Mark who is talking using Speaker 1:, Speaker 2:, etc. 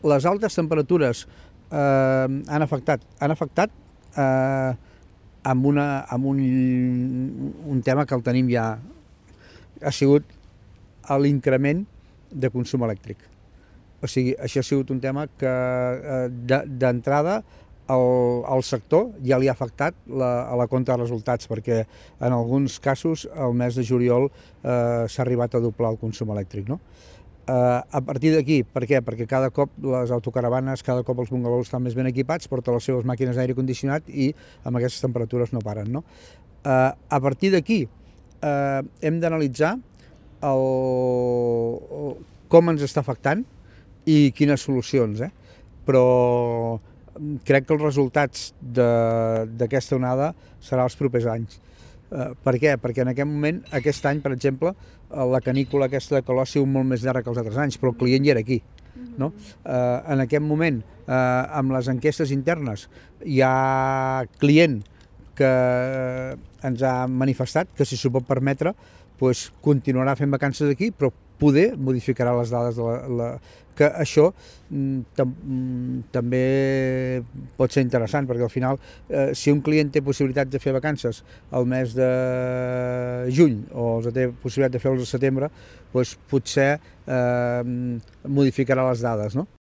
Speaker 1: les altes temperatures han afectat amb un tema que el tenim ja, ha sigut l'increment de consum elèctric. O sigui, això ha sigut un tema que d'entrada al sector ja li ha afectat a la compta de resultats, perquè en alguns casos el mes de juliol s'ha arribat a doblar el consum elèctric, no? A partir d'aquí, per què? Perquè cada cop les autocaravanes, cada cop els bungalows estan més ben equipats, porten les seves màquines d'aire condicionat i amb aquestes temperatures no paren, no? A partir d'aquí hem d'analitzar com ens està afectant i quines solucions, però crec que els resultats d'aquesta onada seran els propers anys. Per què? Perquè en aquest moment, aquest any, per exemple, la canícula aquesta de calor ha sigut molt més llarga que els altres anys, però el client ja era aquí. No? En aquest moment, amb les enquestes internes, hi ha client que ens ha manifestat que si s'ho pot permetre doncs continuarà fent vacances aquí, però poder modificarà les dades que això també pot ser interessant, perquè al final si un client té possibilitat de fer vacances al mes de juny o té possibilitat de fer-los al setembre, doncs potser modificarà les dades, no?